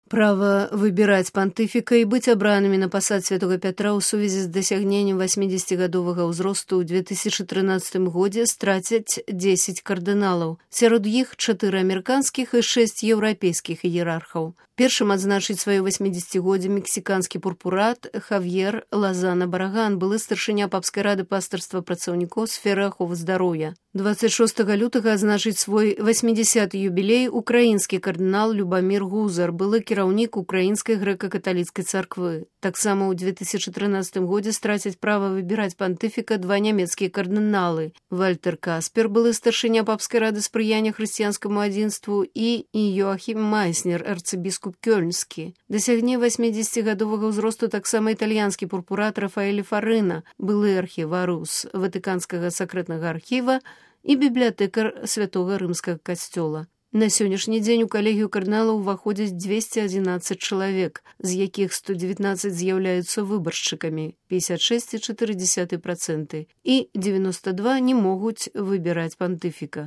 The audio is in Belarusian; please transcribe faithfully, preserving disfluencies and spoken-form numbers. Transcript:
Право выбіраць пантыфіка і быць абранымі на пасад святого Пятра ў сувязі з дасягненнем васьмідзесяцігадовага ўзросту ў две тысячы трынаццатым годзе страцяць дзесяць кардыналаў. Сярод іх чатыры амерыканскіх і шэсць еўрапейскіх іерархаў. Першым адзначыць сваё васьмідзесяцігоддзе мексіканскі пурпурат Хавьер Лазана Бараган, былы старшыня папскай рады пастырства працаўнікоў сферы аховы здароўя. дваццаць шостага лютага адзначыць свой васьмідзесяты юбілей украінскі кардынал Любамір Гузар, былы кіраўнік украінскай грэка-каталіцкай царквы. Таксама ў две тысячы трынаццатым годзе страцяць права выбіраць пантыфіка два нямецкія кардыналы. Вальтер Каспер, былы старшыня папскай рады спрыяння хрысціянскаму адзінству, і Йоахім Майснер, арцыбіскуп Кёльнскі. Дасягне васьмідзесяцігадовага ўзросту таксама італьянскі пурпурат Рафаэль Фарына, былы архіварус Ватыканскага сакрэтнага архіва і бібліятэкар святога рымскага касцёла. На сённяшні дзень у калегію кардыналаў уваходзяць дзвесце адзінаццаць чалавек, з якіх сто дзевятнаццаць з'яўляюцца выбаршчыкамі, пятьдесят шесть и четыре десятых процента, і девяносто два не могуць выбіраць пантыфіка.